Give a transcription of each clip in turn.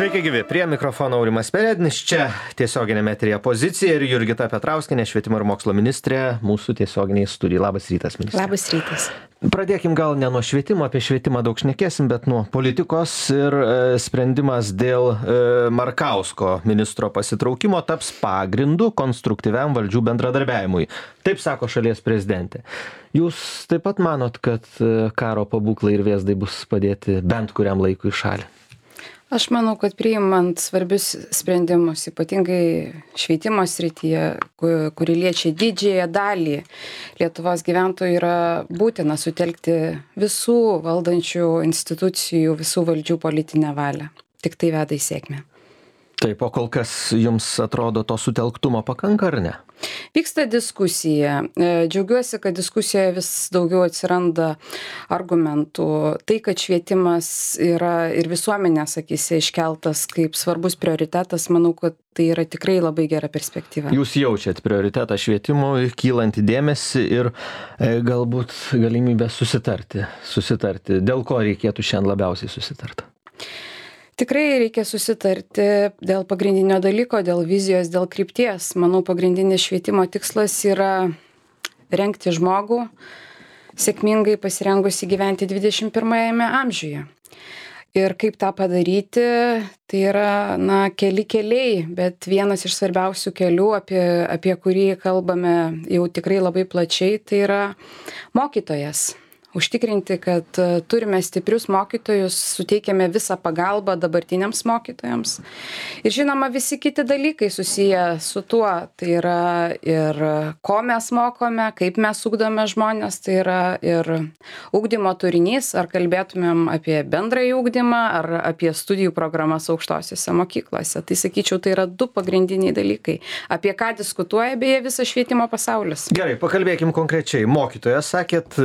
Sveiki gyvi, prie mikrofono Aurimas Perednis, čia tiesioginėme eteryje Pozicija ir Jurgita Petrauskienė, švietimo ir mokslo ministrė, mūsų tiesioginiai studijai. Labas rytas, ministrė. Labas rytas. Pradėkim gal ne nuo švietimo, apie švietimą daug šnekėsim, bet nuo politikos ir sprendimas dėl Markausko ministro pasitraukimo taps pagrindu konstruktyviam valdžių bendradarbiavimui. Taip sako šalies prezidentė. Jūs taip pat manot, kad karo pabūklai ir vėzdai bus padėti bent kuriam laikui į šalį? Aš manau, kad priimant svarbius sprendimus, ypatingai švietimo srityje, kuri liečia didžiąją dalį Lietuvos gyventojų, yra būtina sutelkti visų valdančių institucijų, visų valdžių politinę valią. Tik tai veda į sėkmę. Taip, o kol kas jums atrodo to sutelktumo pakanka ar ne? Vyksta diskusija. Džiaugiuosi, kad diskusijoje vis daugiau atsiranda argumentų. Tai, kad švietimas yra ir visuomenės akyse iškeltas kaip svarbus prioritetas, manau, kad tai yra tikrai labai gera perspektyva. Jūs jaučiat prioritetą švietimui, kylantį dėmesį ir galbūt galimybę susitarti. Dėl ko reikėtų šiandien labiausiai susitarti? Tikrai reikia susitarti dėl pagrindinio dalyko, dėl vizijos, dėl krypties. Manau, pagrindinis švietimo tikslas yra rengti žmogų, sėkmingai pasirengusi gyventi 21 amžiuje. Ir kaip tą padaryti, tai yra keli keliai, bet vienas iš svarbiausių kelių, apie kurį kalbame jau tikrai labai plačiai, tai yra mokytojas. Užtikrinti, kad turime stiprius mokytojus, suteikiame visą pagalbą dabartiniams mokytojams. Ir žinoma, visi kiti dalykai susiję su tuo, tai yra ir ko mes mokome, kaip mes ugdome žmonės, tai yra ir ugdymo turinys, ar kalbėtumėm apie bendrąjį ugdymą, ar apie studijų programas aukštosiose mokyklose. Tai sakyčiau, tai yra du pagrindiniai dalykai, apie ką diskutuoja beje visas švietimo pasaulis. Gerai, pakalbėkim konkrečiai. Mokytojas, sakėt,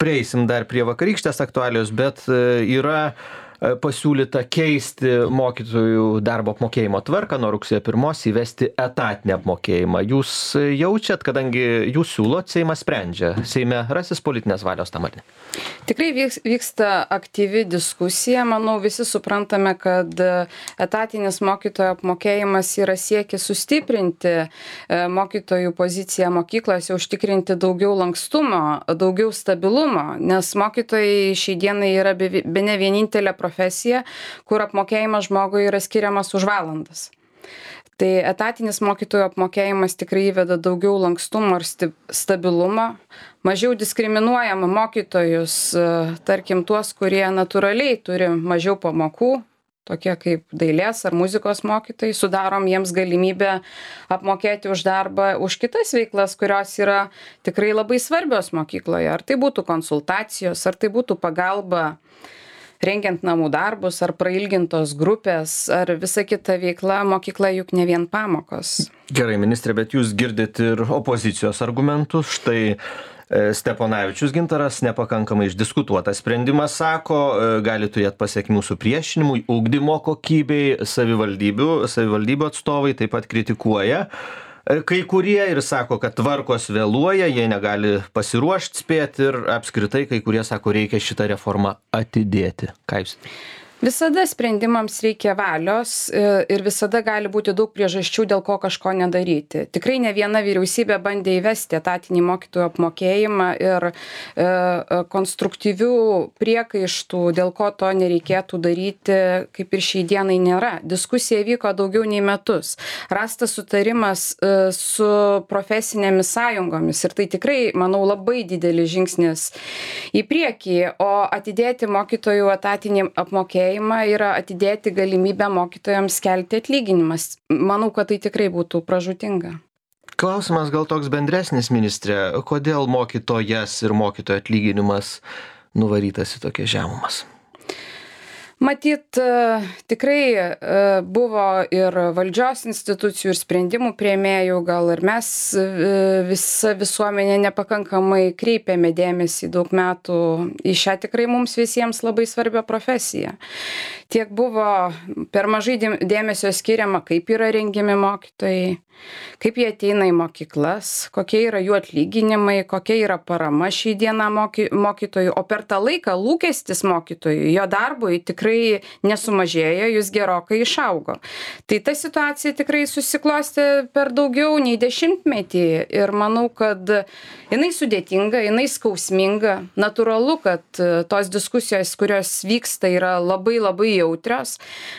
prieisim dar prie vakarykštės aktualijos, bet yra pasiūlyta keisti mokytojų darbo apmokėjimo tvarką nuo rugsėjo 1 įvesti etatinį apmokėjimą. Jūs jaučiat, kadangi jūs siūlot, Seimas sprendžia. Seime rasis politinės valios tam ar ne? Tikrai vyksta aktyvi diskusija. Manau, visi suprantame, kad etatinis mokytojo apmokėjimas yra siekis sustiprinti mokytojų poziciją mokyklose, užtikrinti daugiau lankstumo, daugiau stabilumo, nes mokytojai šiai dienai yra bene vienintelė profesija, kur apmokėjimas žmogui yra skiriamas už valandas. Tai etatinis mokytojų apmokėjimas tikrai įveda daugiau lankstumo ir stabilumo, mažiau diskriminuojama mokytojus, tarkim tuos, kurie natūraliai turi mažiau pamokų, tokie kaip dailės ar muzikos mokytojai, sudarom jiems galimybę apmokėti už darbą, už kitas veiklas, kurios yra tikrai labai svarbios mokykloje. Ar tai būtų konsultacijos, ar tai būtų pagalba rengiant namų darbus, ar prailgintos grupės, ar visa kita veikla, mokykla juk ne vien pamokos. Gerai, ministrė, bet jūs girdit ir opozicijos argumentus. Štai Steponavičius Gintaras nepakankamai išdiskutuotas sprendimas, sako, gali turėti pasekmių supriešinimui, ugdymo kokybei, savivaldybių atstovai taip pat kritikuoja. Kai kurie ir sako, kad tvarkos vėluoja, jie negali pasiruošti spėti ir apskritai kai kurie sako, reikia šitą reformą atidėti. Ką jūs? Visada sprendimams reikia valios ir visada gali būti daug priežasčių, dėl ko kažko nedaryti. Tikrai ne viena vyriausybė bandė įvesti etatinį mokytojų apmokėjimą ir konstruktyvių priekaištų, dėl ko to nereikėtų daryti, kaip ir šiai dienai nėra. Diskusija vyko daugiau nei metus. Rastas sutarimas su profesinėmis sąjungomis ir tai tikrai, manau, labai didelis žingsnis į priekį, o atidėti mokytojų etatinį apmokėjimą yra atidėti galimybę mokytojams kelti atlyginimas. Manau, kad tai tikrai būtų pražūtinga. Klausimas gal toks bendresnis, ministrė. Kodėl mokytojas ir mokytojo atlyginimas nuvarytas į tokias žemumas? Matyt, tikrai buvo ir valdžios institucijų, ir sprendimų priėmėjų, gal ir mes visa visuomenė nepakankamai kreipėme dėmesį daug metų į šią tikrai mums visiems labai svarbią profesiją. Tiek buvo per mažai dėmesio skiriama, kaip yra rengiami mokytojai, kaip jie ateina į mokyklas, kokie yra jų atlyginimai, kokia yra parama šį dieną mokytojų, o per tą laiką lūkestis mokytojų, jo darbui tikrai tikrai nesumažėjo, jis gerokai išaugo. Tai ta situacija tikrai susiklostė per daugiau nei 10 metį ir manau, kad jinai sudėtinga, jinai skausminga. Natūralu, kad tos diskusijos, kurios vyksta, yra labai labai jautrios,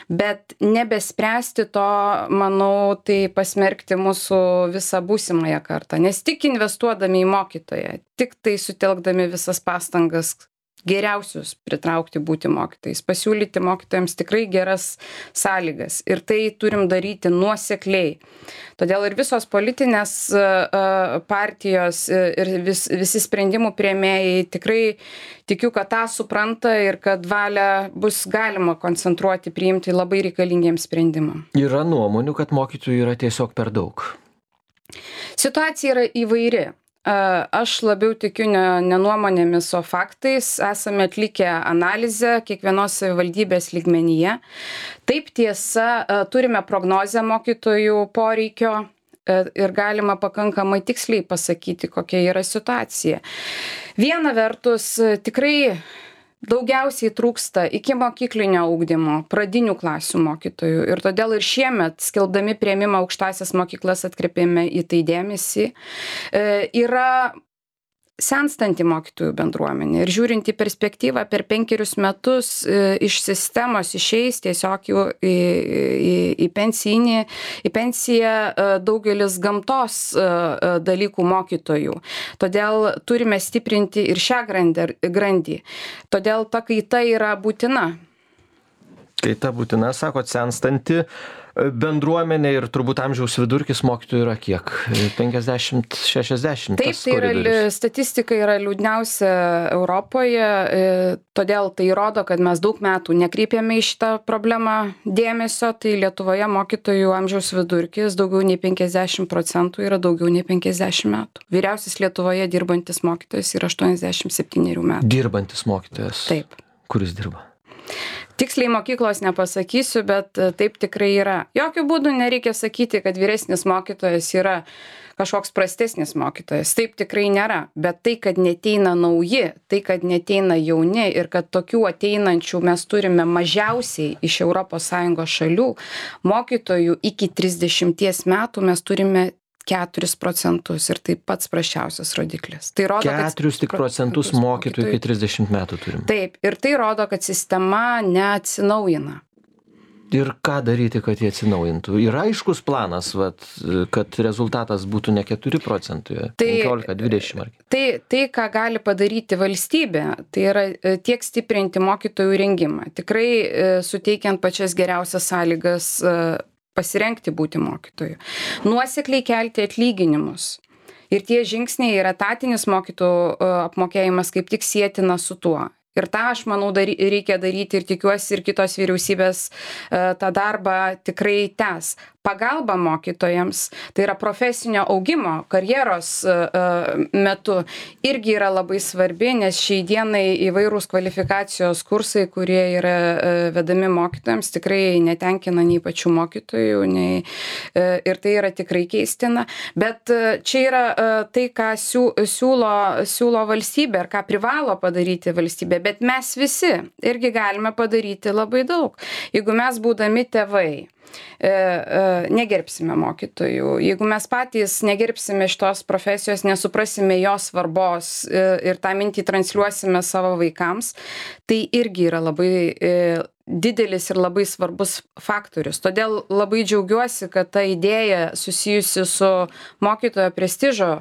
bet nebespręsti to, manau, tai pasmerkti mūsų visą būsimąją kartą. Nes tik investuodami į mokytoją, tik tai sutelkdami visas pastangas geriausius pritraukti būti mokytojais, pasiūlyti mokytojams tikrai geras sąlygas ir tai turim daryti nuosekliai. Todėl ir visos politinės partijos ir visi sprendimų priėmėjai tikrai tikiu, kad tą supranta ir kad valią bus galima koncentruoti, priimti labai reikalingiems sprendimam. Yra nuomonių, kad mokytojų yra tiesiog per daug. Situacija yra įvairi. Aš labiau tikiu ne nuomonėmis, o faktais. Esame atlikę analizę kiekvienos savivaldybės lygmenyje. Taip tiesa, turime prognozę mokytojų poreikio ir galima pakankamai tiksliai pasakyti, kokia yra situacija. Viena vertus, tikrai daugiausiai trūksta ikimokyklinio ugdymo, pradinių klasių mokytojų ir todėl ir šiemet, skelbdami priėmimą aukštąsias mokyklas, atkreipėme į tai dėmesį. Yra senstanti mokytojų bendruomenė ir žiūrint į perspektyvą per 5 metus iš sistemos išeis tiesiog jau į pensiją daugelis gamtos dalykų mokytojų. Todėl turime stiprinti ir šią grandį. Todėl ta kaita yra būtina. Kaita būtina, sakot, senstanti bendruomenė ir turbūt amžiaus vidurkis mokytojų yra kiek? 50-60? Taip, tai yra, statistika yra liūdniausia Europoje, todėl tai rodo, kad mes daug metų nekreipėme į šitą problemą dėmesio, tai Lietuvoje mokytojų amžiaus vidurkis daugiau nei 50% yra daugiau nei 50 metų. Vyriausias Lietuvoje dirbantis mokytojas yra 87 metų. Dirbantis mokytojas? Taip. Kuris dirba? Tiksliai mokyklos nepasakysiu, bet taip tikrai yra. Jokių būdų nereikia sakyti, kad vyresnis mokytojas yra kažkoks prastesnis mokytojas. Taip tikrai nėra. Bet tai, kad neteina nauji, tai, kad neteina jauni ir kad tokių ateinančių mes turime mažiausiai iš ES šalių, mokytojų iki 30 metų mes turime 4% ir tai pats prasčiausias rodiklis. Tai rodo, 4% mokytojų iki 30 metų turim. Taip, ir tai rodo, kad sistema neatsinaujina. Ir ką daryti, kad jie atsinaujintų? Yra aiškus planas, kad rezultatas būtų ne 4%, 15-20%. Tai, ką gali padaryti valstybė, tai yra tiek stiprinti mokytojų rengimą, tikrai suteikiant pačias geriausias sąlygas pasirengti būti mokytoju. Nuosekliai kelti atlyginimus. Ir tie žingsniai ir etatinis mokytojų apmokėjimas kaip tik sietina su tuo. Ir tą, aš manau, reikia daryti ir tikiuosi ir kitos vyriausybės tą darbą tikrai tęs. Pagalba mokytojams, tai yra profesinio augimo, karjeros metu irgi yra labai svarbi, nes šiai dienai įvairūs kvalifikacijos kursai, kurie yra vedami mokytojams, tikrai netenkina nei pačių mokytojų, ir tai yra tikrai keistina. Bet čia yra tai, ką siūlo valstybė ir ką privalo padaryti valstybė, bet mes visi irgi galime padaryti labai daug. Jeigu mes būdami tėvai, negerbsime mokytojų. Jeigu mes patys negerbsime šitos profesijos, nesuprasime jos svarbos ir tą mintį transliuosime savo vaikams, tai irgi yra labai didelis ir labai svarbus faktorius. Todėl labai džiaugiuosi, kad ta idėja susijusi su mokytojo prestižo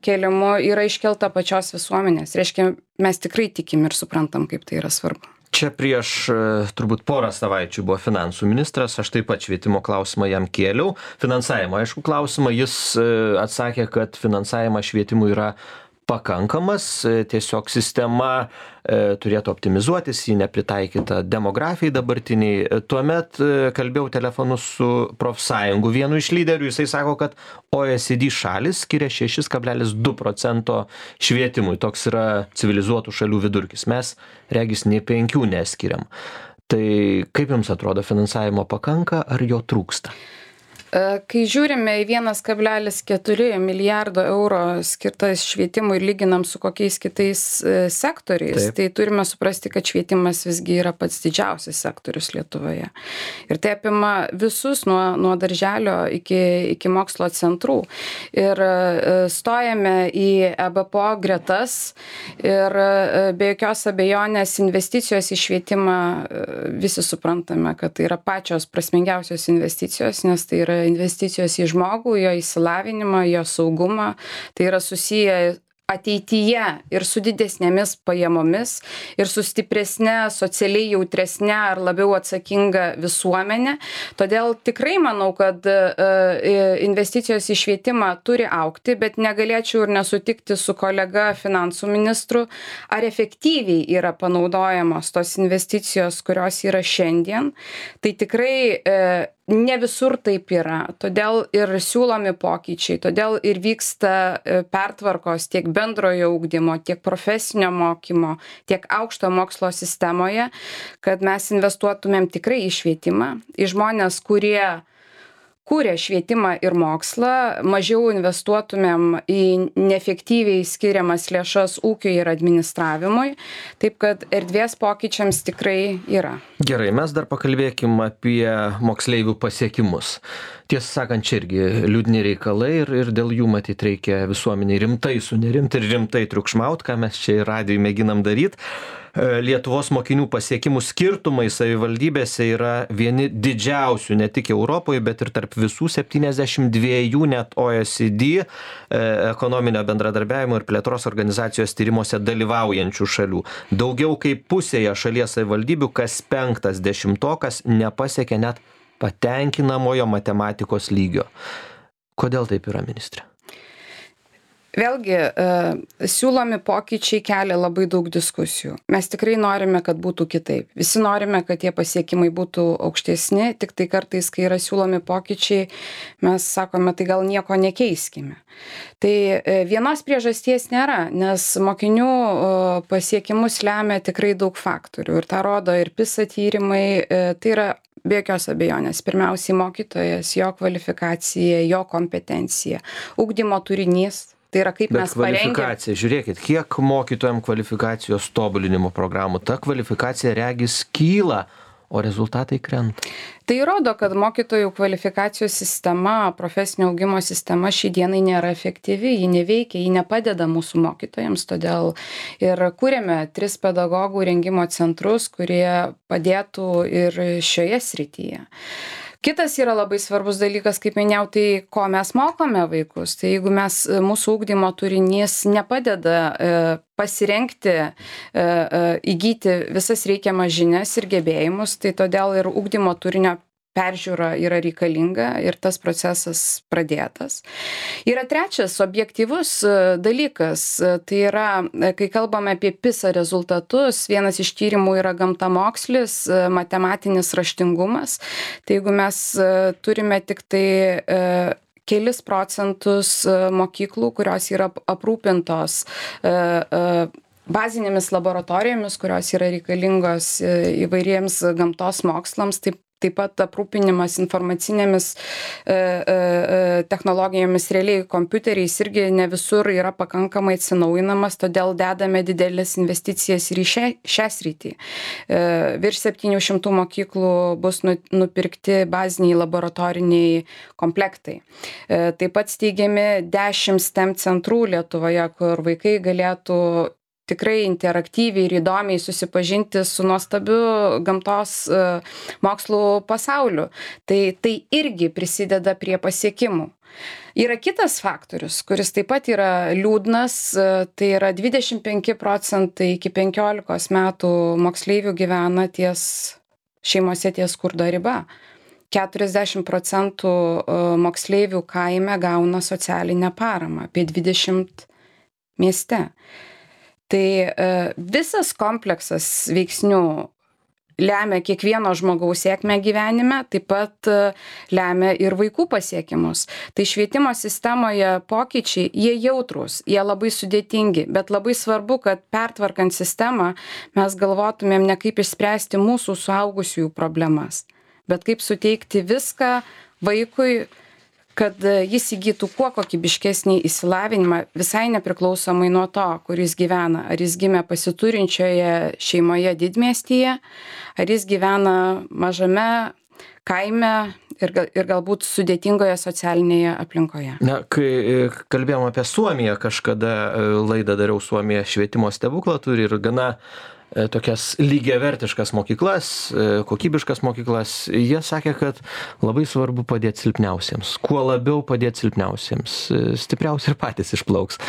kėlimu yra iškelta pačios visuomenės. Reiškia, mes tikrai tikim ir suprantam, kaip tai yra svarbu. Čia prieš turbūt porą savaičių buvo finansų ministras, aš taip pat švietimo klausimą jam kėliau. Finansavimo, aišku, klausimą, jis atsakė, kad finansavimas švietimui yra pakankamas, tiesiog sistema turėtų optimizuotis, ji nepritaikyta demografijai dabartiniai. Tuomet kalbėjau telefonu su profsąjungų vienu iš lyderių, jisai sako, kad OECD šalis skiria 6,2% švietimui, toks yra civilizuotų šalių vidurkis. Mes regis nei 5 neskiriam. Tai kaip jums atrodo, finansavimo pakanka ar jo trūksta? Kai žiūrime į 1,4 milijardo eurų skirtas švietimui ir lyginam su kokiais kitais sektoriais, tai turime suprasti, kad švietimas visgi yra pats didžiausias sektorius Lietuvoje. Ir tai apima visus nuo darželio iki mokslo centrų. Ir stojame į EBPO gretas ir be jokios abejonės investicijos į švietimą visi suprantame, kad tai yra pačios prasmingiausios investicijos, nes tai yra investicijos į žmogų, jo išsilavinimą, jo saugumą. Tai yra susiję ateityje ir su didesnėmis pajamomis, ir su stipresne, socialiai jautresne ar labiau atsakinga visuomenė. Todėl tikrai manau, kad investicijos į švietimą turi augti, bet negalėčiau ir nesutikti su kolega finansų ministru, ar efektyviai yra panaudojamos tos investicijos, kurios yra šiandien. Tai tikrai ne visur taip yra, todėl ir siūlomi pokyčiai, todėl ir vyksta pertvarkos tiek bendrojo ugdymo, tiek profesinio mokymo, tiek aukšto mokslo sistemoje, kad mes investuotumėm tikrai į švietimą, į žmonės, kurie kūrė švietimą ir mokslą, mažiau investuotumėm į neefektyviai skiriamas lėšas ūkiui ir administravimui, taip kad erdvės pokyčiams tikrai yra. Gerai, mes dar pakalbėkim apie moksleivių pasiekimus. Tiesą sakant, čia irgi liūdni reikalai ir dėl jų matyt reikia visuomeniai rimtai sunerimti ir rimtai triukšmaut, ką mes čia ir radijuj mėginam daryti. Lietuvos mokinių pasiekimų skirtumai savivaldybėse yra vieni didžiausių ne tik Europoje, bet ir tarp visų 72 net OECD ekonominio bendradarbiavimo ir plėtros organizacijos tyrimuose dalyvaujančių šalių. Daugiau kaip pusėje šalies savivaldybių kas 5 dešimtokas nepasiekia net patenkinamojo matematikos lygio. Kodėl taip yra, ministre? Vėlgi, siūlomi pokyčiai kelia labai daug diskusijų. Mes tikrai norime, kad būtų kitaip. Visi norime, kad tie pasiekimai būtų aukštesni, tik tai kartais, kai yra siūlomi pokyčiai, mes sakome, tai gal nieko nekeiskime. Tai vienos priežasties nėra, nes mokinių pasiekimus lemia tikrai daug faktorių. Ir tą rodo ir PISA tyrimai, tai yra be jokios abejonės. Pirmiausiai mokytojas, jo kvalifikacija, jo kompetencija, ugdymo turinys. Tai yra kaip mes parengėme. Kvalifikacija, žiūrėkit, kiek mokytojams kvalifikacijos tobulinimo programų, ta kvalifikacija regis kyla, o rezultatai krenta. Tai rodo, kad mokytojų kvalifikacijos sistema, profesinio augimo sistema šiai dienai nėra efektyvi, ji neveikia, ji nepadeda mūsų mokytojams, todėl ir kūrėme 3 pedagogų rengimo centrus, kurie padėtų ir šioje srityje. Kitas yra labai svarbus dalykas, kaip minėjau, tai ko mes mokome vaikus. Tai jeigu mūsų ugdymo turinys nepadeda pasirengti, įgyti visas reikiamas žinias ir gebėjimus, tai todėl ir ugdymo turinio peržiūra yra reikalinga ir tas procesas pradėtas. Yra trečias objektyvus dalykas, tai yra, kai kalbame apie PISA rezultatus, vienas iš tyrimų yra gamtamokslis, matematinis raštingumas. Tai jeigu mes turime tik tai kelis procentus mokyklų, kurios yra aprūpintos bazinėmis laboratorijomis, kurios yra reikalingos įvairiems gamtos mokslams, taip pat aprūpinimas informacinėmis technologijomis, realiai kompiuteriais irgi ne visur yra pakankamai atsinaujinamas, todėl dedame didelės investicijas ir į šią sritį. Virš 700 mokyklų bus nupirkti baziniai laboratoriniai komplektai. Taip pat steigiami 10 STEM centrų Lietuvoje, kur vaikai galėtų tikrai interaktyviai ir įdomiai susipažinti su nuostabiu gamtos mokslų pasauliu. Tai irgi prisideda prie pasiekimų. Yra kitas faktorius, kuris taip pat yra liūdnas, tai yra 25% iki 15 metų moksleivių gyvena šeimose ties skurdo riba. 40% moksleivių kaime gauna socialinę paramą, apie 20 mieste. Tai visas kompleksas veiksnių lemia kiekvieno žmogaus sėkmę gyvenime, taip pat lemia ir vaikų pasiekimus. Tai švietimo sistemoje pokyčiai, jie jautrūs, jie labai sudėtingi, bet labai svarbu, kad pertvarkant sistemą mes galvotumėm ne kaip išspręsti mūsų suaugusiųjų problemas, bet kaip suteikti viską vaikui, kad jis įgytų kuo kokybiškesnį išsilavinimą, visai nepriklausomai nuo to, kur jis gyvena. Ar jis gimė pasiturinčioje šeimoje didmiestyje, ar jis gyvena mažame kaime ir galbūt sudėtingoje socialinėje aplinkoje. Na, kai kalbėjom apie Suomiją, kažkada laidą dariau, Suomija švietimo stebuklą turi ir gana tokias lygiavertiškas mokyklas, kokybiškas mokyklas. Jie sakė, kad labai svarbu padėti silpniausiems. Kuo labiau padėti silpniausiems, stipriausi ir patys išplauks.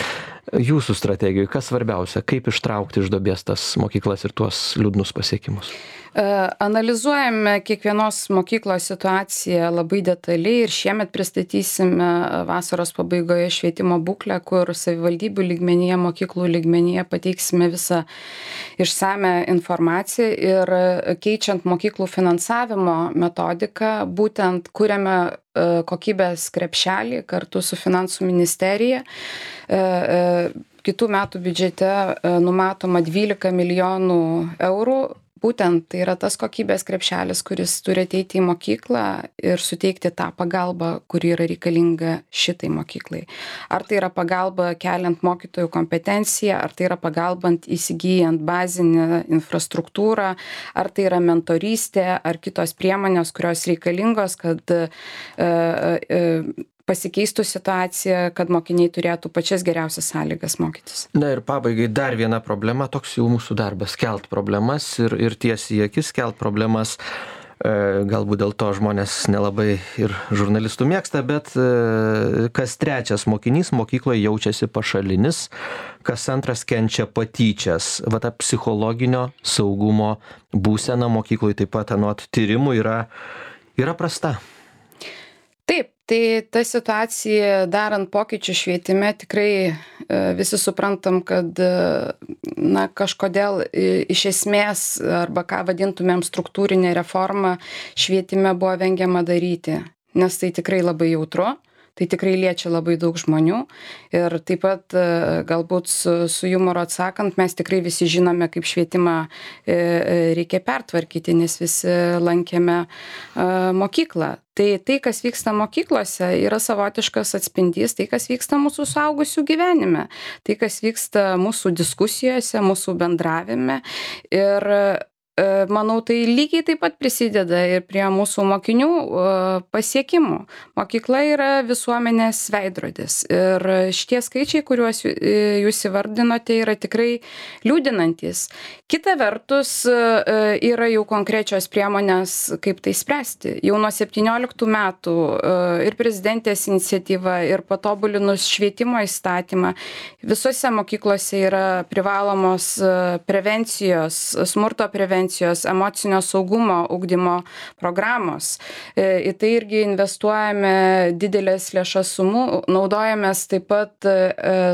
Jūsų strategijoje, kas svarbiausia, kaip ištraukti iš duobės tas mokyklas ir tuos liūdnus pasiekimus? Analizuojame kiekvienos mokyklos situaciją labai detaliai ir šiemet pristatysime vasaros pabaigoje švietimo būklę, kur savivaldybių lygmenyje, mokyklų lygmenyje pateiksime visą išsame informaciją ir keičiant mokyklų finansavimo metodiką, būtent kuriame kokybės krepšelį kartu su finansų ministerija. Kitų metų biudžete numatoma 12 milijonų eurų. Būtent tai yra tas kokybės krepšelis, kuris turi ateiti į mokyklą ir suteikti tą pagalbą, kuri yra reikalinga šitai mokyklai. Ar tai yra pagalba keliant mokytojų kompetenciją, ar tai yra pagalbant įsigyjant bazinę infrastruktūrą, ar tai yra mentorystė, ar kitos priemonės, kurios reikalingos, kad pasikeistų situacija, kad mokiniai turėtų pačias geriausias sąlygas mokytis. Na ir pabaigai dar viena problema, toks jau mūsų darbas, kelt problemas ir tiesiai į akis kelt problemas. Galbūt dėl to žmonės nelabai ir žurnalistų mėgsta, bet kas trečias mokinys mokykloje jaučiasi pašalinis, kas antras kenčia patyčias. Va ta psichologinio saugumo būsena mokykloje taip pat anot tyrimų yra prasta. Taip, tai ta situacija darant pokyčių švietime tikrai visi suprantam, kad kažkodėl iš esmės arba ką vadintumėm struktūrinė reforma švietime buvo vengiama daryti, nes tai tikrai labai jautru. Tai tikrai liečia labai daug žmonių ir taip pat galbūt su jumoru atsakant, mes tikrai visi žinome, kaip švietimą reikia pertvarkyti, nes visi lankėme mokyklą. Tai, kas vyksta mokyklose, yra savotiškas atspindys, tai, kas vyksta mūsų suaugusių gyvenime, tai, kas vyksta mūsų diskusijose, mūsų bendravime ir manau, tai lygiai taip pat prisideda ir prie mūsų mokinių pasiekimų. Mokykla yra visuomenės veidrodis ir šitie skaičiai, kuriuos jūs įvardinote, yra tikrai liūdinantis. Kita vertus, yra jau konkrečios priemonės, kaip tai spręsti. Jau nuo 17 metų ir prezidentės iniciatyva, ir patobulinus švietimo įstatymą, visose mokyklose yra privalomos prevencijos, smurto prevencijos, emocinio saugumo ugdymo programos. Į tai irgi investuojame didelės lėšas sumų, naudojamės taip pat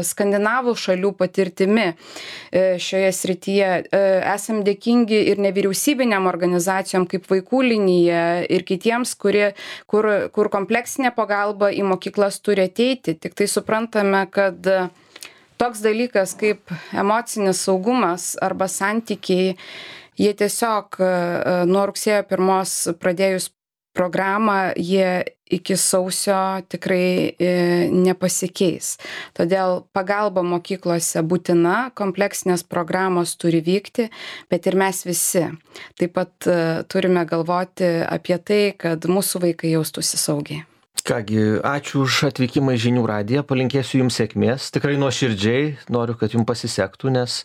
skandinavų šalių patirtimi šioje srityje. Esam dėkingi ir nevyriausybinėm organizacijom kaip Vaikų linija ir kitiems, kur kompleksinė pagalba į mokyklas turi ateiti. Tik tai suprantame, kad toks dalykas kaip emocinis saugumas arba santykiai, jie tiesiog nuo rugsėjo 1 pradėjus programą, jie iki sausio tikrai nepasikeis. Todėl pagalba mokyklose būtina, kompleksinės programos turi vykti, bet ir mes visi taip pat turime galvoti apie tai, kad mūsų vaikai jaustųsi saugiai. Kągi, ačiū už atvykimą į Žinių radiją, palinkėsiu jums sėkmės, tikrai nuoširdžiai noriu, kad jums pasisektų, nes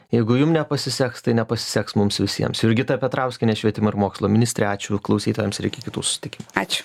jeigu jums nepasiseks, tai nepasiseks mums visiems. Jurgita Petrauskienė, švietimo ir mokslo ministrė, ačiū klausytojams ir iki kitų susitikimų. Ačiū.